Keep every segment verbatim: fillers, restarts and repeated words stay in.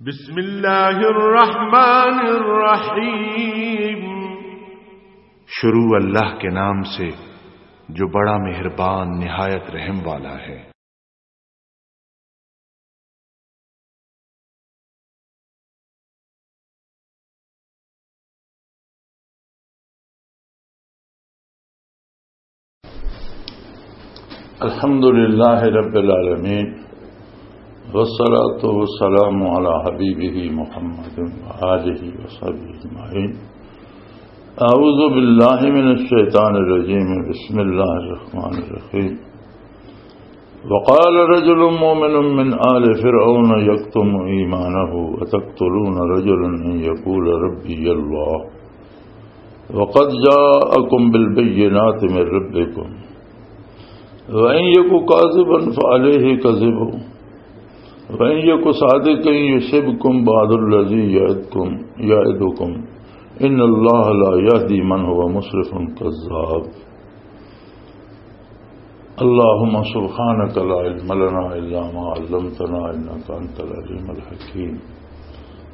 بسم اللہ الرحمن الرحیم۔ شروع اللہ کے نام سے جو بڑا مہربان نہایت رحم والا ہے۔ الحمد لله رب العالمين، والصلاة والسلام على حبيبه محمد وآله وصحبه أجمعين. أعوذ بالله من الشيطان الرجيم. بسم الله الرحمن الرحيم. وقال رجل مؤمن من آل فرعون يكتم إيمانه أتقتلون رجلا أن يقول ربي الله وقد جاءكم بالبينات من ربكم وإن يك كاذبا فعليه كذبه وإن يك صادقا يصبكم بعض الذي يعدكم، يعدكم، إن الله لا يهدي من هو مسرف كذاب. اللهم سبحانك لا علم لنا إلا ما علمتنا إنك أنت العليم الحكيم.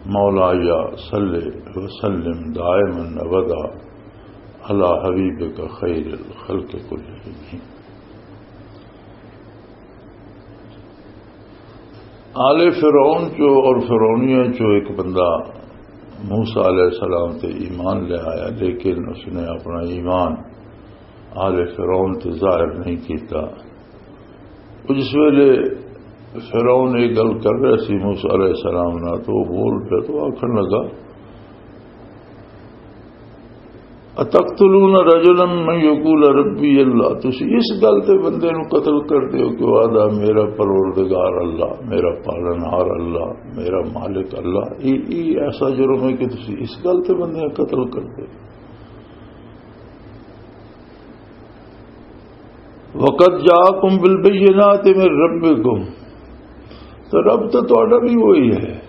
مولاي صل وسلم دائما أبدا على حبيبك خير الخلق كلهم. آل فرعون چو اور فرعونیاں چو ایک بندہ موسیٰ علیہ السلام تے ایمان لے آیا، لیکن اس نے اپنا ایمان آل فرعون تے ظاہر نہیں کیتا۔ او جس ویلے فرعون یہ گل کر رہا سی موسیٰ علیہ السلام نال، تو وہ بول پیا تو آکھن لگا، "اتقتلون رجلا من یقول ربی اللہ"، تسی اس گل تے بندے نو قتل کر دیو کہ وہ آدھا، "میرا پروردگار اللہ، میرا پالنہار اللہ، میرا مالک اللہ"؟ یہ، یہ ایسا جرم ہے کہ تسی اس گل تے بندے نو قتل کر دیو؟ وقد جاءکم بالبینات من ربکم، تو رب تو تہاڈا بھی وہی ہے۔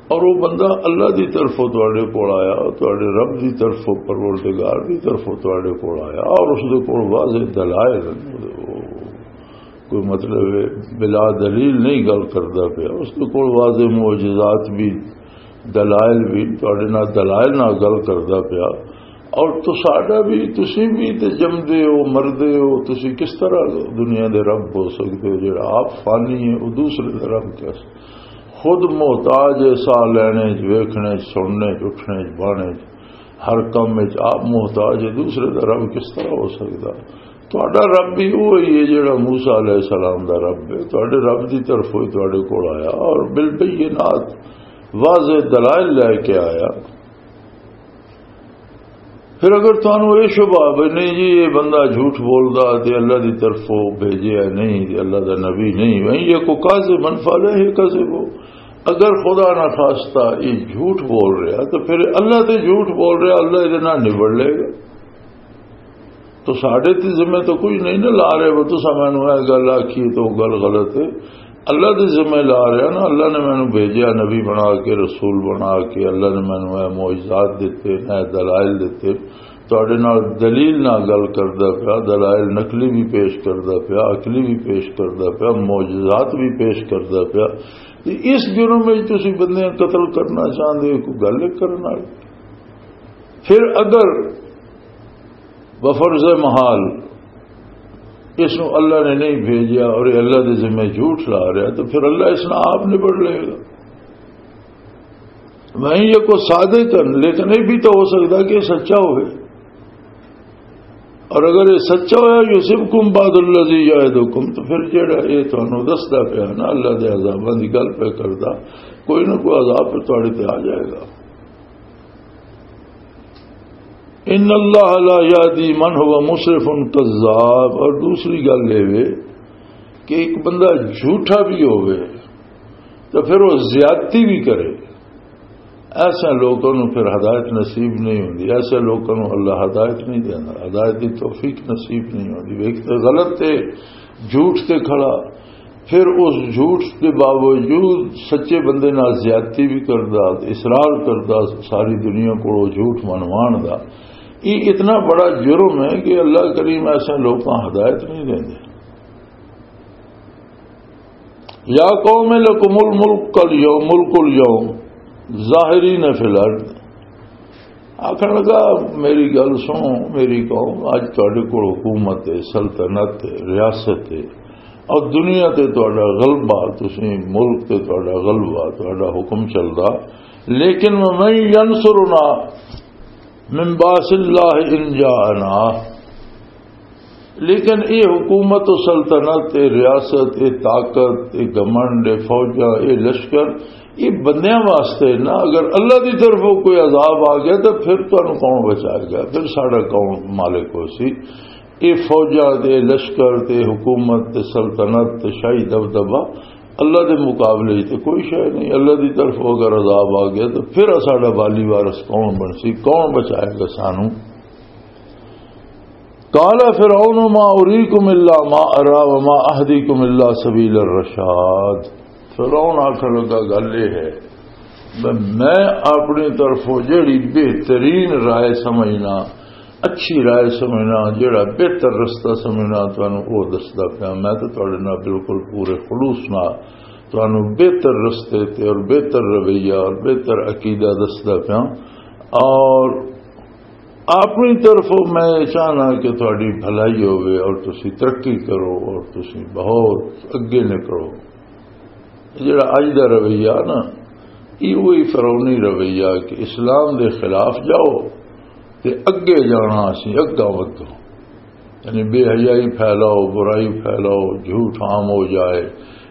اور وہ بندہ اللہ دی طرفوں تہاڈے کول آیا، تہاڈے رب دی طرفوں، پروردگار دی طرفوں تہاڈے کول آیا، اور اس دے کول واضح دلائل، کوئی مطلب ہے بلا دلیل نہیں گل کردا پیا، اس دے کول واضح معجزات بھی، دلائل بھی، تہاڈے نال دلائل نال گل کردا پیا۔ اور تساڈا بھی، تسی بھی تے جمدے ہو، مردے ہو، تسی کس طرح دنیا دے رب ہو سکدے ہو؟ جڑا آپ فانی ہے، وہ دوسرے دا رب کیسے؟ خود محتاج ہے ساہ لینے چ، ویکھنے چ، سننے چ، اٹھنے چ، بانے چ، ہر کم وچ آپ محتاج ہے، دوسرے دا رب کس طرح ہو سکدا؟ تہاڈا رب بھی وہی ہے جڑا موسیٰ علیہ السلام دا رب ہے۔ تہاڈے رب دی طرف ہوئی تہاڈے کول آیا اور بالبینات، واضح دلائل لے کے آیا۔ پھر اگر تانوں یہ شبہ بھی نہیں جی، یہ بندہ جھوٹ بولدا تے اللہ دی طرفوں بھیجیا نہیں، تے اللہ دا نبی نہیں، وہیں یہ کو کاذبا فعلیہ کذبہ، اگر خدا نہ خواستہ یہ جھوٹ بول رہا تو پھر اللہ تے جھوٹ بول رہا، اللہ یہ نہ نبڑ لے گا۔ تو ساڈے تے ذمہ تو کچھ نہیں نہ لا رہے، وہ تساں مینوں اے گل آکھی تو گل غلط ہے۔ اللہ دے ذمہ لا رہا نا، اللہ نے مینوں بھیجیا نبی بنا کے، رسول بنا کے، اللہ نے مینوں اے معجزات دتے، اے دلائل دتے، تہاڈے نال دلیل نہ گل کردا پیا، دلائل نقلی بھی پیش کردا پیا، عقلی بھی پیش کردا پیا، معجزات بھی پیش کردا پیا۔ تے اس جرم وچ تسی بندے قتل کرنا چاہندے ہو، کوئی گل کرن والی؟ پھر اگر بفرض محال اس نو اللہ نے نہیں بھیجیا اور یہ اللہ دے ذمے جھوٹ لا رہا، تو پھر اللہ اس نال آپ نبڑ لے گا۔ میں یہ کو صادق ہن، لیکن یہ بھی تو ہو سکتا کہ یہ سچا ہوئے۔ اور اگر یہ سچا ہویا، یصبکم بعض الذی یعدکم، تو پھر جڑا یہ تانوں دسدا پیا نا، اللہ دے عذاباں دی گل پہ کردا، کوئی نہ کوئی عذاب پہ تہاڈے تے آ جائے گا۔ ان اللہ لا یہدی من هو مسرف کذاب۔ اور دوسری گل یہ وے کہ ایک بندہ جھوٹا بھی ہوئے تو پھر وہ زیادتی بھی کرے، ایسے لوگوں نوں پھر ہدایت نصیب نہیں ہوندی، ایسے لوگوں نوں اللہ ہدایت نہیں دینا، ہدایت دی توفیق نصیب نہیں ہوندی۔ ایک تے غلط تے جھوٹ تے کھڑا، پھر اس جھوٹ دے باوجود سچے بندے نال زیادتی بھی کردا، اصرار کردا ساری دنیا کولوں جھوٹ منوان دا۔ یہ اتنا بڑا جرم ہے کہ اللہ کریم ایسے لوکاں ہدایت نہیں دیندے۔ یا قوم لکم الملک الیوم، ملک الیوم، ظاہرین فی الارض۔ آخر لگا، میری گل سنو، میری قوم، اج تہاڈے کول حکومت ہے، سلطنت ہے، ریاست ہے، اور دنیا تے تہاڈا غلبہ، تسی ملک تے تہاڈا غلبہ، تہاڈا حکم چلدا، لیکن ومن ینصرنا من باس اللہ ان جاءنا۔ لیکن یہ حکومت و سلطنت، یہ ریاست، یہ طاقت، یہ گمنڈ، یہ فوجاں، یہ لشکر، یہ بندیاں واسطے نا۔ اگر اللہ دی طرفوں کوئی عذاب آ گیا تو پھر تانوں کون بچائے گا؟ پھر ساڈا کون مالک ہو سی؟ یہ فوجاں تے لشکر تے حکومت تے سلطنت تے شاہی دبدبہ اللہ دے مقابلے وچ تے کوئی شے نہیں۔ اللہ دی طرفوں اگر عذاب آ گیا تو پھر ساڈا والی وارث کون بن سی؟ کون بچائے گا سانوں؟ قال فرعون ما اریکم الا ما ارا وما اهدیکم الا سبیل الرشاد۔ فرعون آخر لگا، گل یہ ہے، میں، میں اپنی طرفوں جڑی بہترین رائے سمجھنا، اچھی رائے سمجھنا، جڑا بہتر رستہ سمجھنا، تانوں وہ دسدا پیا۔ میں تو تہاڈے نال بالکل پورے خلوص نال تانوں بہتر رستے تے اور بہتر رویہ اور بہتر عقیدہ دسدا پیا۔ اور اپنی طرفوں میں یہ چاہنا کہ تہاڈی بھلائی ہوے اور تسی ترقی کرو اور تسی بہت اگے نکلو۔ جڑا اج دا رویہ نا، یہ وہی فرعونی رویہ کہ اسلام دے خلاف جاؤ تے اگے جانا، اسی اگاں ودھو، یعنی بے حیائی پھیلاؤ، برائی پھیلاؤ، جھوٹ عام ہو جائے،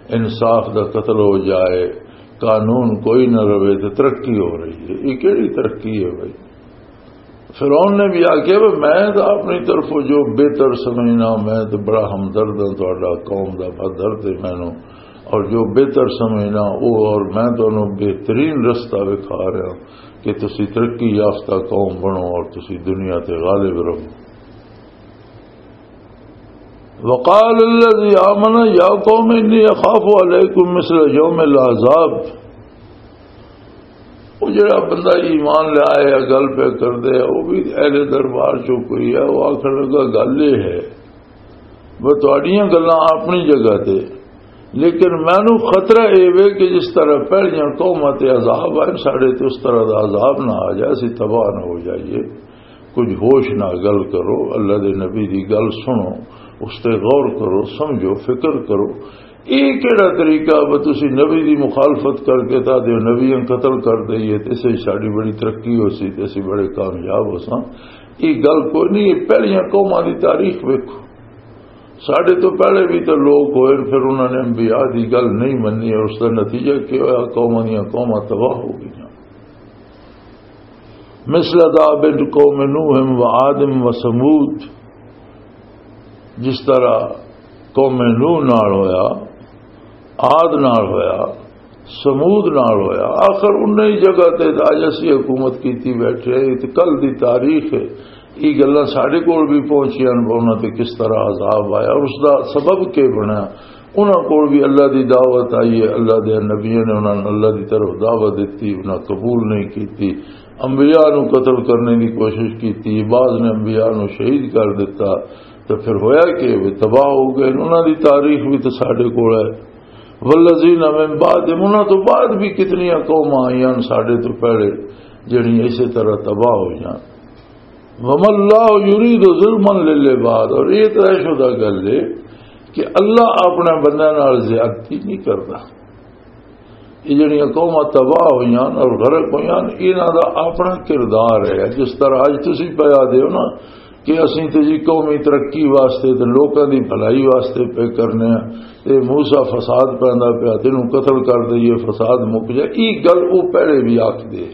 انصاف دا قتل ہو جائے، قانون کوئی نہ رہے تے ترقی ہو رہی ہے۔ یہ کیڑی ترقی ہے بھائی؟ فرعون نے بھی آخیا، "بھئی، میں تو اپنی طرفوں جو بہتر سمجھنا، میں تو بڑا ہمدرد ہاں، تہاڈا قوم دا بہدرد ہے مینوں، اور جو بہتر سمجھنا وہ، اور میں تانوں بہترین رستہ وکھا رہا کہ تسی ترقی یافتہ قوم بنو اور تسی دنیا تے غالب رہو۔" وقال الذي آمن یا قوم انی اخاف علیکم مثل یوم العذاب۔ وہ جڑا بندہ ایمان لے آیا، گل پہ کر دے، وہ بھی اہل دربار چوں کوئی ہے، وہ آخر لگا، گل یہ ہے، وہ تہاڈیاں گلاں اپنی جگہ تے، لیکن مینوں خطرہ اے وے کہ جس طرح پہلیاں قوماں تے عذاب آئے، ساڈے تے اس طرح دا عذاب نہ آ جائے، اسی تباہ نہ ہو جائیے۔ کچھ ہوش نہ گل کرو، اللہ دے نبی دی گل سنو، اس تے غور کرو، سمجھو، فکر کرو۔ یہ کیڑا طریقہ ہے؟ تسی نبی دی مخالفت کر کے تا دے نبیاں قتل کر دئیے تے اسے ساڈی بڑی ترقی ہو سی تے اسی بڑے کامیاب ہو ساں۔ یہ گل کوئی نہیں، یہ پہلیاں قوماں دی تاریخ ویکھو۔ ساڈے تو پہلے بھی تو لوگ ہوئے، پھر انہاں نے انبیاء دی گل نہیں منی، اور اس دا نتیجہ کیا ہویا؟ قوماں دیاں قوماں تباہ ہو گئیاں۔ مثل داب قوم نوح و عاد و ثمود، جس طرح قوم نوح نال ہویا، عاد نال ہویا، ثمود نال ہویا، آخر انہی جگہ تے اج اسی حکومت کیتی بیٹھے ہیں۔ تے کل دی تاریخ ہے، یہ گلاں ساڈے کول بھی پہنچیاں نے، انہاں تے کس طرح عذاب آیا اور اس دا سبب کی بنیا۔ انہاں کول بھی اللہ دی دعوت آئی ہے، اللہ دے نبیوں نے انہاں نوں اللہ دی طرف دعوت دتی، انہاں قبول نہیں کیتی، انبیاء نوں قتل کرنے دی کوشش کیتی، بعض نے انبیاء نوں شہید کر دتا۔ تو پھر ہویا کہ وہ تباہ ہو گئے۔ انہاں دی تاریخ بھی تو ساڈے کول ہے۔ والذین من بعدہم، انہاں تو بعد بھی کتنیاں قوماں آئیاں ساڈے تو پہلے، جڑیاں اسی طرح تباہ ہوئیاں۔ وما اللہ یرید ظلما للعباد، اور یہ طے شدہ گل ہے کہ اللہ اپنے بندیاں نال زیادتی نہیں کردا۔ یہ جڑیاں قوماں تباہ ہوئیاں اور غرق ہوئیاں، انہاں دا اپنا کردار ہے۔ جس طرح اج تسی پیا دے ہو نا کہ اسیں تے جی قومی ترقی واسطے تے لوکاں دی بھلائی واسطے پہ کرنے ہیں، تے موسیٰ فساد پیندا پیا، تینوں قتل کر دئیے، فساد مک جائے، یہ گل وہ پہلے بھی آکھ دے۔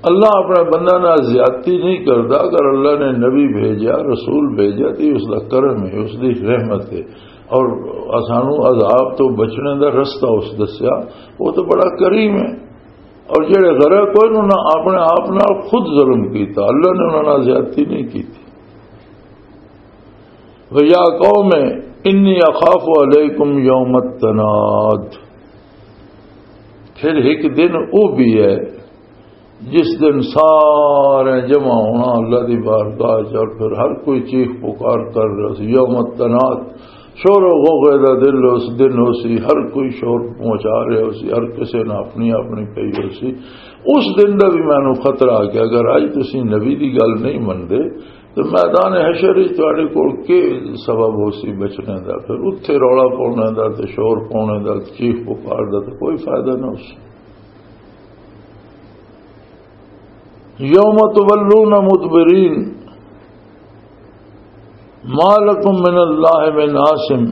اللہ اپنے بندہ نال زیادتی نہیں کردا۔ اگر اللہ نے نبی بھیجا، رسول بھیجا، تو اس دا کرم ہے، اس دی رحمت ہے۔ اور سانو عذاب تو بچنے دا رستہ اس دسیا، وہ تو بڑا کریم ہے۔ اور جڑے غرق ہوئے، انہاں نے اپنے آپ نال خود ظلم کیتا، اللہ نے انہاں نال زیادتی نہیں کیتی۔ وَيَا قَوْمِ إِنِّي أَخَافُ عَلَيْكُمْ يَوْمَ التَّنَادِ۔ پھر ایک دن وہ بھی ہے جس دن سارے جمع ہونا اللہ دی بارگاہ چ، اور پھر ہر کوئی چیخ پکار کر رہا سی، یوم التناد، شور و غوغے دا دل اس دن ہو سی، ہر کوئی شور پہنچا رہے ہو سی، ہر کسے نہ اپنی اپنی پئی ہو سی۔ اس دن دا بھی مینوں خطرہ آ گیا، اگر اج تسی نبی دی گل نہیں مندے تو میدان حشر وچ تہاڈے کول کی سبب ہو سی بچنے دا؟ پھر اتھے رولا پاؤنے دا تے شور پاؤنے دا، چیخ پکار دا تے کوئی فائدہ نہ ہو سی۔ یوم تولون مدبرین، ما لکم من اللہ من عاصم،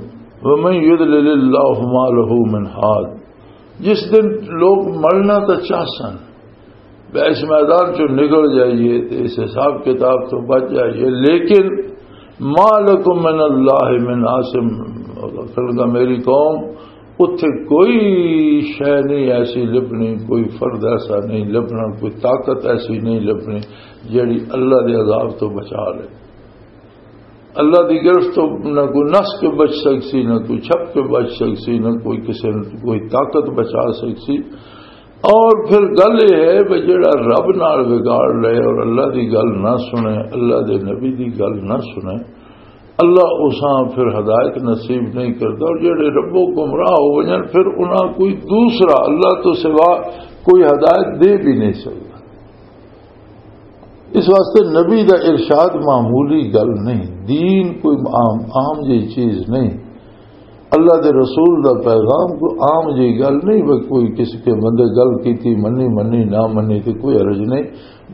ومن یضلل اللہ فما لہ من ہاد۔ جس دن لوگ ملنا تو چاہ سن، بے اس میدان چوں نکل جائیے تے اس حساب کتاب تو بچ جائیے، لیکن ما لکم من اللہ من عاصم، فرمایا، میری قوم، اتھے کوئی شے نہیں ایسی لبنی، کوئی فرد ایسا نہیں لبنا، کوئی طاقت ایسی نہیں لبنی جیڑی اللہ دے عذاب تو بچا لے۔ اللہ دی گرفت تو نہ کوئی نس کے بچ سکسی، نہ کوئی چھپ کے بچ سکسی، نہ کوئی کسے کوئی طاقت بچا سکسی۔ اور پھر گل یہ ہے کہ جڑا رب نال وگاڑ لے اور اللہ دی گل نہ سنے، اللہ دے نبی دی گل نہ سنے، اللہ اساں پھر ہدایت نصیب نہیں کرتا۔ اور جڑے ربو گمراہ ہو جان، پھر انہاں کوئی دوسرا اللہ تو سوا کوئی ہدایت دے بھی نہیں سکتا۔ اس واسطے نبی دا ارشاد معمولی گل نہیں، دین کوئی عام، عام جی چیز نہیں۔ اللہ دے رسول دا پیغام کوئی عام جی گل نہیں، بس کوئی کسی کے بندے گل کیتی، منی منی نہ منی تے کوئی حرج نہیں۔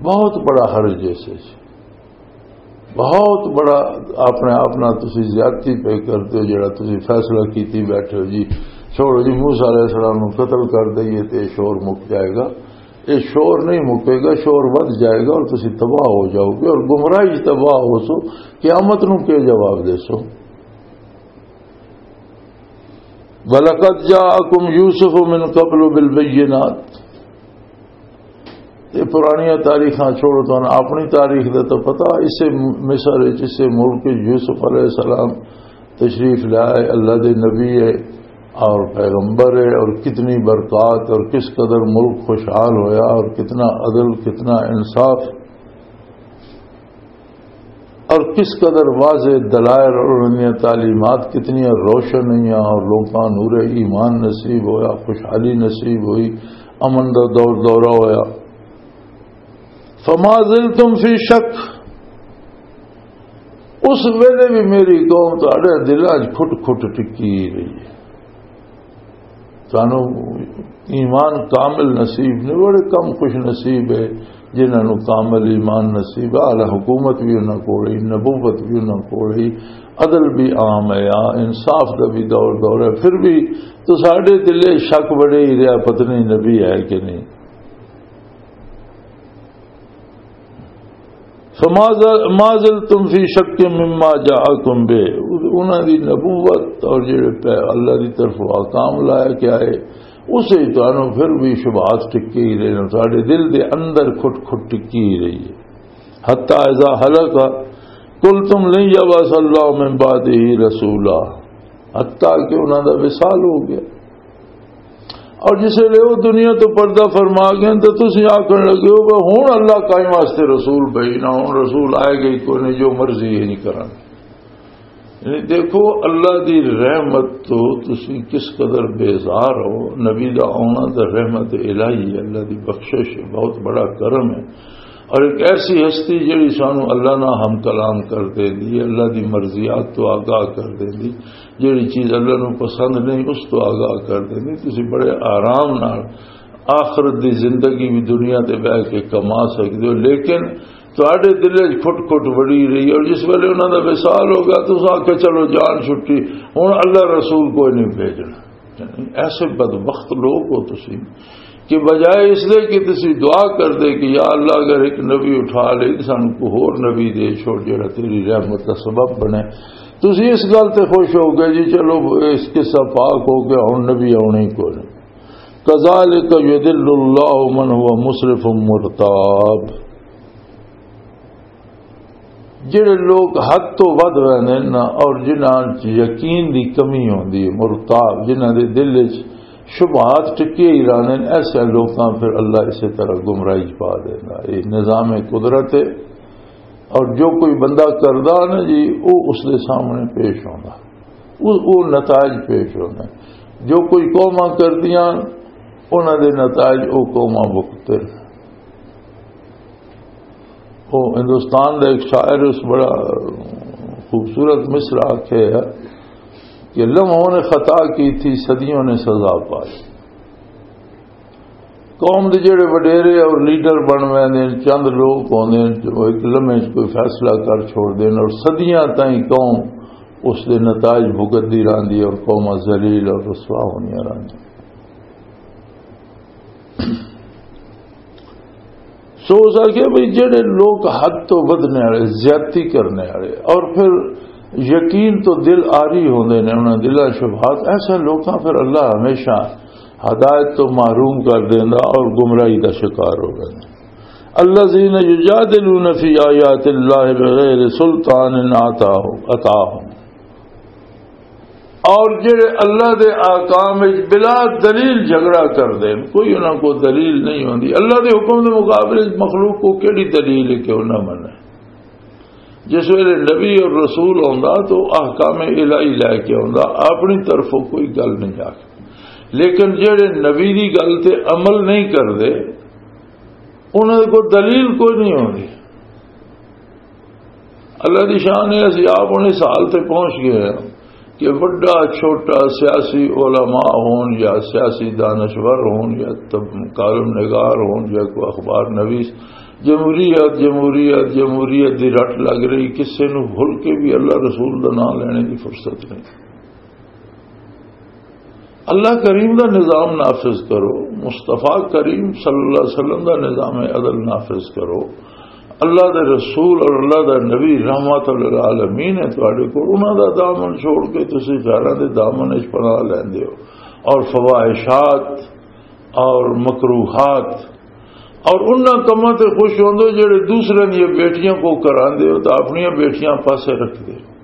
بہت بڑا حرج ہے اس وچ، بہت بڑا۔ اپنے آپ نال تسی زیادتی پہ کرتے ہو، جڑا تسی فیصلہ کیتی بیٹھے ہو جی، چھوڑو جی، موسیٰ علیہ السلام نو قتل کر دئیے تے شور مک جائے گا۔ یہ شور نہیں مکے گا، شور ود جائے گا اور تسی تباہ ہو جاؤ گے اور گمراہی چ تباہ ہو سو، قیامت نو کے جواب دے سو؟ وَلَقَدْ جَاءَكُمْ يُوسُفُ مِنْ قَبْلُ بِالْبَيِّنَاتِ۔ یہ پرانیاں تاریخاں چھوڑو، تانوں اپنی تاریخ دا تو پتہ، اسے مصر وچ، اسے ملک وچ یوسف علیہ السلام تشریف لائے، اللہ دے نبی ہے اور پیغمبر ہے، اور کتنی برکات اور کس قدر ملک خوشحال ہویا اور کتنا عدل، کتنا انصاف اور کس قدر واضح دلائل اور انہاں دیاں تعلیمات کتنیاں روشن ہوئیاں اور لوکاں نور ایمان نصیب ہویا، خوشحالی نصیب ہوئی، امن دا دور دورہ ہویا۔ فما زلتم فی شک، اس ویلے بھی میری قوم تہاڈے دلاں 'چ کھٹ کھٹ ٹکی رہی ہے۔ سانو ایمان کامل نصیب نہیں، بڑے کم خوش نصیب ہے جنہاں نو کامل ایمان نصیب ہے۔ اعلی حکومت بھی انہاں کول ہی، نبوت بھی انہاں کول ہی، عدل بھی عام ہے، آ، انصاف دا بھی دور دور ہے، پھر بھی تو ساڈے دلے شک بڑے ہی رہیا، پتہ نہیں نبی ہے کہ نہیں۔ فما زل-، ما زلتم فی شک مما جاءکم بہ، انہاں دی نبوت اور جڑے پہ اللہ دی طرف احکام لایا کہ آئے، اسے تانوں پھر بھی شبہات ٹکی ہی رہے، ساڈے دل دے اندر کھٹ کھٹ ٹکی ہی رہی ہے۔ حتی اذا ہلک قلتم لن یبعث اللہ من بعدہ رسولا، حتی کہ انہاں دا وصال ہو گیا۔ اور جس ویلے وہ دنیا تو پردہ فرما گئے تو تسی آکھن لگے ہو کہ ہن اللہ کائیں واسطے رسول بھیج نہ، ہن رسول آئے گا ہی کوئی نہیں، جو مرضی ہے نہیں کرن۔ یعنی دیکھو، اللہ دی رحمت تو تسی کس قدر بیزار ہو۔ نبی دا آنا تو رحمت الہی ہے، اللہ دی بخشش ہے، بہت بڑا کرم ہے۔ اور ایک ایسی ہستی جڑی سانو اللہ نہ ہم کلام کر دے دی، اللہ دی مرضیات تو آگاہ کر دے دی، جڑی چیز اللہ نو پسند نہیں، اس تو آگاہ کر دے دی۔ تسی بڑے آرام نال آخرت دی زندگی بھی دنیا تے بہ کے کما سکدے ہو، لیکن تہاڈے دل وچ کھٹ کھٹ بڑی رہی، اور جس ویلے انہاں دا وصال ہو گیا، تساں آکھیا، "چلو، جان چھٹی، ہن اللہ رسول کوئی نہیں بھیجنا۔" ایسے بدبخت لوگ ہو تسی کہ بجائے اس لئے کہ تسی دعا کر دے کہ یا اللہ، اگر ایک نبی اٹھا لے، سانو کوئی ہور نبی دے چھوڑ، جڑا تیری رحمت دا سبب بنے، تسی اس گل تے خوش ہو گئے جی، چلو، اس قصہ پاک ہو گیا، ہن نبی آنے ہی کوئی نہیں۔ کذالک یضل اللہ من هو مسرف مرتاب۔ جڑے لوگ حد تو ودھ رہندے نا اور جنہاں چ یقین دی کمی ہوندی ہے، مرتاب، جنہاں دے دل وچ شبہات ٹکے ہی رہندے نے، ایسے لوکاں پھر اللہ اسی طرح گمراہی چ پا دیندا۔ یہ نظام قدرت ہے، اور جو کوئی بندہ کردا نا جی، وہ اس دے سامنے پیش ہوندا۔ وہ، وہ نتائج پیش ہوندے۔ جو کوئی قوماں کردیاں، انہاں دے نتائج وہ قوماں بھگتن۔ وہ ہندوستان دا ایک شاعر اس بڑا خوبصورت مصرع آکھیا ہے کہ لمحوں نے خطا کی تھی، صدیوں نے سزا پائی۔ قوم دے جڑے وڈیرے اور لیڈر بن ویندے نے، چند لوگ ہوندے نے جو ایک لمحے چ کوئی فیصلہ کر چھوڑ دین اور صدیاں تائیں قوم اس دے نتائج بھگتدی رہندی ہے اور قوماں ذلیل اور رسوا ہوندیاں رہندیاں۔ سو اس آکھیا بھئی، جڑے لوگ حد تو ودھنے والے، زیادتی کرنے والے، اور پھر یقین تو دل آری ہوندے نے، انہاں دلاں شبہات، ایسے لوکاں پھر اللہ ہمیشہ ہدایت تو محروم کر دیندا اور گمراہی دا شکار ہو ویندا۔ الذین یجادلون فی آیات اللہ بغیر سلطان اتاہم، اور جڑے اللہ دے احکام وچ بلا دلیل جھگڑا کردے نے، کوئی انہاں کو دلیل نہیں ہوندی۔ اللہ دے حکم دے مقابلے وچ مخلوق کو کیڑی دلیل ہے کہ انہاں مننا؟ جس ویلے نبی اور رسول ہوندا تو احکام الہی لے کے ہوندا، اپنی طرفوں کوئی گل نہیں آکھ۔ لیکن جڑے نبی دی گل تے عمل نہیں کردے، انہاں کو دلیل کوئی نہیں ہوندی۔ اللہ دی شان ہے، اسی آپ انہیں سال تے پہنچ گئے ہیں کہ وڈا چھوٹا سیاسی علماء ہون یا سیاسی دانشور ہون یا تب کالم نگار ہون یا کوئی اخبار نویس، جمہوریت، جمہوریت، جمہوریت دی رٹ لگ رہی، کسے نو بھول کے بھی اللہ رسول دا نام لینے دی فرصت نہیں۔ اللہ کریم دا نظام نافذ کرو، مصطفیٰ کریم صلی اللہ علیہ وسلم دا نظام عدل نافذ کرو۔ اللہ دے رسول اور اللہ دا نبی رحمت للعالمین ہے تواڈے کول، انہاں دا دامن چھوڑ کے تسی غیراں دے دامن وچ پناہ لیندے ہو، اور فواحشات اور مکروہات اور انہاں کماں تے خوش ہوندے ہو جڑے دوسرے دیاں بیٹیاں کو کراندے ہو تے اپنیاں بیٹیاں پاسے رکھدے ہو۔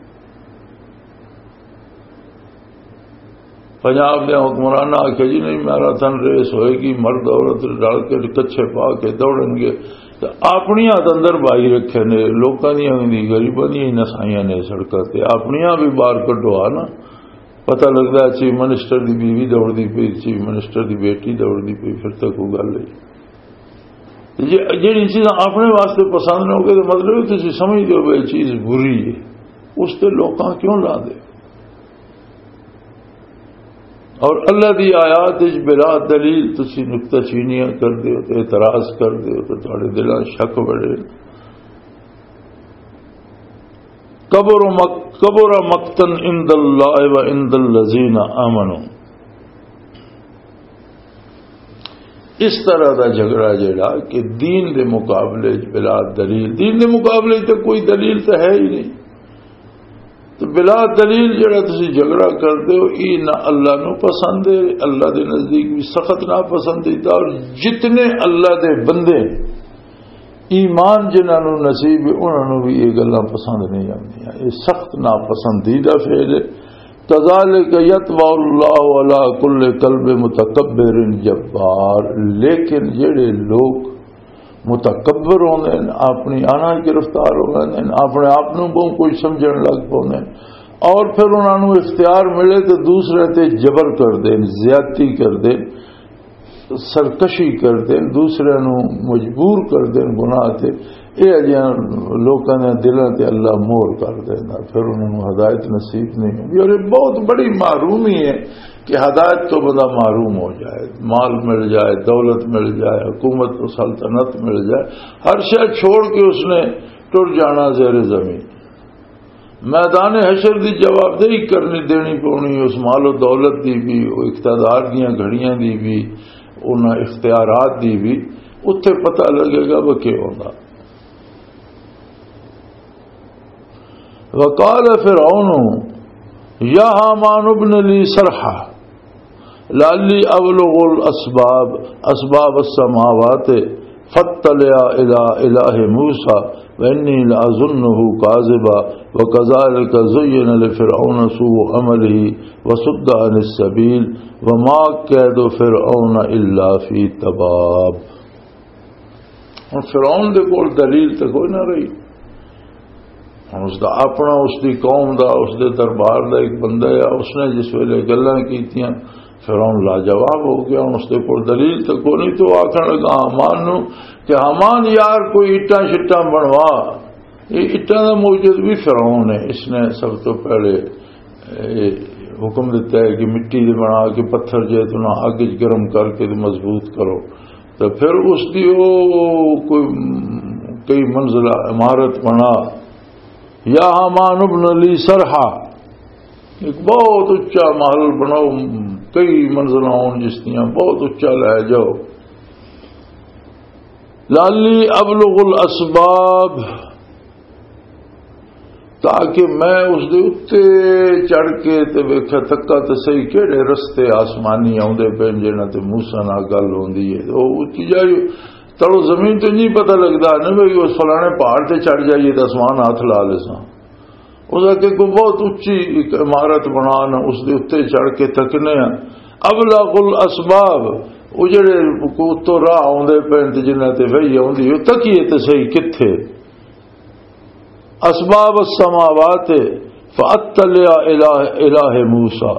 پنجاب دے حکمراناں آکھیا، "جی نہیں، میراتھن ریس ہوئے گی، مرد عورت رل کے کچھے پا کے دوڑن گے۔" تے اپنیاں تے اندر بھائی رکھے نے، لوکاں دیاں بھی، غریباں دیاں ہی نسائیاں نے سڑکاں تے، اپنیاں بھی باہر کڈو آ نا۔ پتہ لگدا ہے چیف منسٹر دی بیوی دوڑدی پئی، چیف منسٹر دی بیٹی دوڑدی پئی، پھر تے کوئی گل نہیں۔ تے جے جڑی چیزاں اپنے واسطے پسند نہ ہوگی، تو مطلب ہے تسی سمجھدے ہو بھی یہ چیز بری ہے، اس تے لوکاں کیوں لا دے؟ اور اللہ دی آیات وچ بلا دلیل تسی نکتہ چینیاں کر دیو تے اعتراض کر دیو تے تہاڈے دلاں شک بڑے۔ کبر مق-، کبر مقتا عند اللہ و عند الذین آمنوا۔ اس طرح دا جھگڑا جڑا کہ دین دے مقابلے وچ بلا دلیل، دین دے مقابلے وچ تے کوئی دلیل تے ہے ہی نہیں۔ تو بلا دلیل جڑا تسی جھگڑا کردے ہو، یہ نہ اللہ نو پسند ہے، اللہ دے نزدیک بھی سخت ناپسندیدہ، اور جتنے اللہ دے بندے ایمان جنہاں نو نصیب ہے، انہاں نو بھی یہ گلاں پسند نہیں آندیاں۔ یہ سخت ناپسندیدہ فعل ہے۔ کذالک یطبع اللہ علی کل قلب متکبر جبار۔ لیکن جڑے لوگ متکبر ہوندے نے، اپنی انا گرفتار ہو ویندے نے، اپنے آپ نو بہت کچھ سمجھن لگ پوندے نے، اور پھر انہاں نو اختیار ملے تے دوسرے تے جبر کر دین، زیادتی کر دین، سرکشی کر دین، دوسرے نو مجبور کر دین گناہ تے۔ اے اجیاں لوکاں دے دلاں تے اللہ مہر کر دیندا، پھر انہاں نو ہدایت نصیب نہیں ہوندی۔ اور یہ بہت بڑی محرومی ہے کہ ہدایت تو بندہ محروم ہو جائے، مال مل جائے، دولت مل جائے، حکومت و سلطنت مل جائے، ہر شے چھوڑ کے اس نے ٹر جانا زیر زمین۔ میدان حشر دی جوابدہی کرنی، دینی پونی اس مال و دولت دی بھی، او اقتدار دیاں گھڑیاں دی بھی، انہاں اختیارات دی بھی۔ اتھے پتہ لگے گا وہ کیا ہونا۔ وقال فرعون یا حامان ابن لی صرحا لعلی ابلغ الاسباب، اسباب السماوات، فاطلع الی الہ موسی وانی لاظنہ کاذبا، وکذالک زین لفرعون سوء عملہ وصد عن السبیل، وما کید فرعون الا فی تباب۔ ہن فرعون دے کول دلیل تے کوئی نہ رہی۔ ہن اس دا اپنا، اس دی قوم دا، اس دے دربار دا ایک بندہ ہے، اس نے جس ویلے گلاں کیتیاں، فرعون لاجواب ہو گیا۔ ہن اس دے کول دلیل تے کوئی نہیں، تو آکھن لگا ہامان نو کہ ہامان یار، کوئی اٹاں شٹاں بنوا۔ یہ اٹاں دا موجد بھی فرعون ہے۔ اس نے سب تو پہلے، اے، حکم دیتا ہے کہ مٹی دے بنا کے، پتھر جے تو نہ اگ وچ گرم کر کے تے مضبوط کرو۔ تو پھر اس دی او کوئی کئی منزلہ عمارت بنا۔ یا ہامان ابن لی سرحا، ایک بہت اچا محل بناؤ، کئی منزلہ ہون جس دیاں، بہت اچا لے جاؤ۔ لالی ابلغ الاسباب، تاکہ میں اس دے اُتے چڑھ کے تے ویکھا، تکا تے صحیح کیڑے رستے آسمانی آوندے پے جنہاں تے موسیٰ نال گل ہوندی ہے۔ او اُچی جائی تڑو زمین تے نہیں پتہ لگدا نا بھئی اس فلانے پہاڑ تے چڑھ جائیے تے آسمان ہاتھ لا لیساں۔ اس آکھے کوئی بہت اچی ایک عمارت بنا نا، اس دے اُتے چڑھ کے تکنے ہیں۔ ابلغ الاسباب، وہ جڑے اتوں راہ آوندے پے تے جنہاں تے وحی آوندی، وہ تکیے تے صحیح کتھے۔ اسباب السماوات فاطلع الہ، الہ موسیٰ،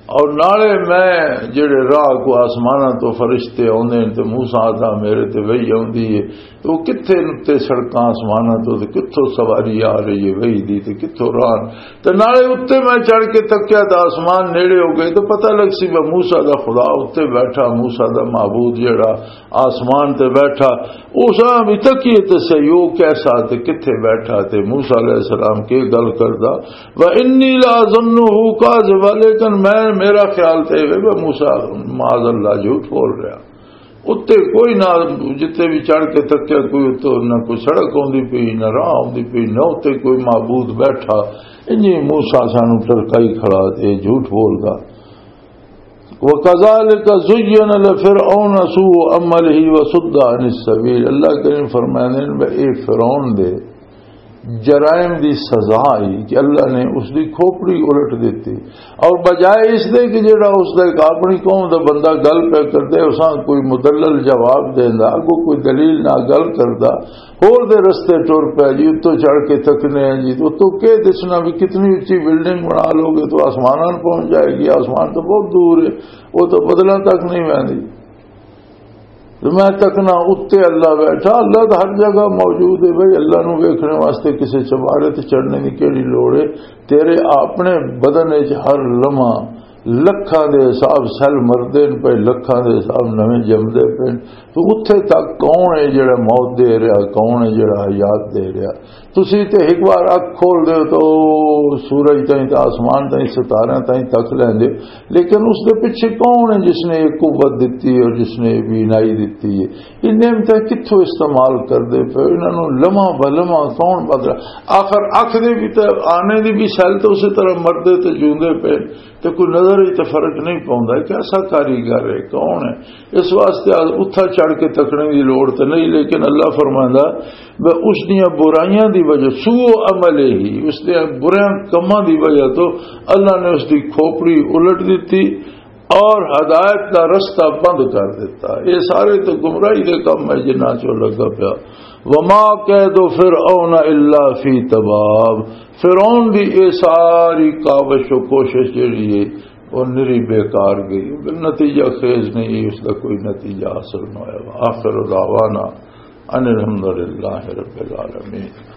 اور نالے میں جڑے راہ کو آسماناں تو فرشتے آوندے نے تے موسیٰ آتا میرے تے وحی آوندی ہے، تو کتھے نتے سڑکاں آسماناں تو تے کتھوں سواری آ رہی ہے وحی دی تے کتھوں راہ۔ تے نالے اُتے میں چڑھ کے تکیا تے آسمان نیڑے ہو گئے، تو پتہ لگ سی بھئی موسیٰ دا خدا اُتے بیٹھا، موسیٰ دا معبود جڑا آسمان تے بیٹھا، اس بھی تکیے تے سہی، او کیسا تے کتھے بیٹھا تے موسیٰ علیہ السلام کی گل کردا۔ وَإِنِّي لَأَظُنُّهُ كَاذِبًا، لیکن میں، میرا خیال تے اے وے موسیٰ معاذ اللہ جھوٹ بول رہا۔ اُتے کوئی نہ، جتے بھی چڑھ کے تکیا کوئی اُتوں نہ کوئی سڑک آوندی پئی، نہ راہ آوندی پئی، نہ اُتے کوئی معبود بیٹھا۔ انجی موسیٰ سانو ٹرکائی کھڑا تے جھوٹ بولدا۔ وَكَذَلِكَ زُيِّنَ لِفِرْعَوْنَ سُوءُ عَمَلِهِ وَصَدَّ عَنِ السَّبِيلِ۔ اللہ کریم فرماندے نے، اے فرعون دے جرائم دی سزا ہی کہ اللہ نے اس دی کھوپڑی الٹ دتی، اور بجائے اس دے کہ جڑا اس دا ایک اپنی قوم دا بندہ گل پہ کردے، اساں کوئی مدلل جواب دیندا، اگوں کوئی دلیل نہ گل کردا، ہور دے رستے ٹر پیا جی، اتوں چڑھ کے تکنے ہیں جی، اتوں کے دسنا بھی کتنی اچی بلڈنگ بنا لو گے تو آسماناں پہنچ جائے گی، آسمان تو بہت دور ہے، وہ تو بدلاں تک نہیں ویندی۔ تو میں تکنا اُتے اللہ بیٹھا، اللہ تو ہر جگہ موجود ہے بھائی، اللہ نو ویکھنے واسطے کسے چبارے تے چڑھنے دی کیڑی لوڑ ہے؟ تیرے اپنے بدن وچ ہر لمحہ لکھاں دے حساب سیل مردے نے پئے، لکھاں دے حساب نویں جمدے پئے۔ تو اُتھے تک کون ہے جڑا موت دے رہا، کون ہے جڑا حیات دے رہا؟ تسی تے ایک بار اکھ کھول دے تو سورج تائیں تے آسمان تائیں ستاریاں تائیں تک لیندے، لیکن اس دے پیچھے کون ہے جس نے یہ قوت دتی ہے اور جس نے یہ بینائی دتی ہے؟ یہ نعمتیں کتھوں استعمال کردے پئے؟ انہاں نوں لمحہ بلمحہ کون بدلا؟ آخر اکھ دے بھی تے آنے دی بھی سیل تو اسی طرح مردے تے جوندے پئے۔ تے کوئی نظر وچ تے فرق نہیں پاؤندا کہ ایسا کاریگر ہے، کون ہے۔ اس واسطے اتھا چڑھ کے تکنے دی لوڑ تے نہیں، لیکن اللہ فرماندا، میں اس دیاں برائیاں دی وجہ، سوء عملہ ہی، اس دیاں بریاں کماں دی وجہ تو اللہ نے اس دی کھوپڑی الٹ دتی اور ہدایت دا رستہ بند کر دتا۔ یہ سارے تو گمراہی دے کم ہے جنہاں چوں لگا پیا۔ وما کید فرعون الا فی تباب، فرعون دی یہ ساری کاوش و کوشش جڑی ہے، وہ نری بیکار گئی، نتیجہ خیز نہیں، اس دا کوئی نتیجہ حاصل نہ ہوا۔ آخر دعوانا ان الحمدللہ رب العالمین۔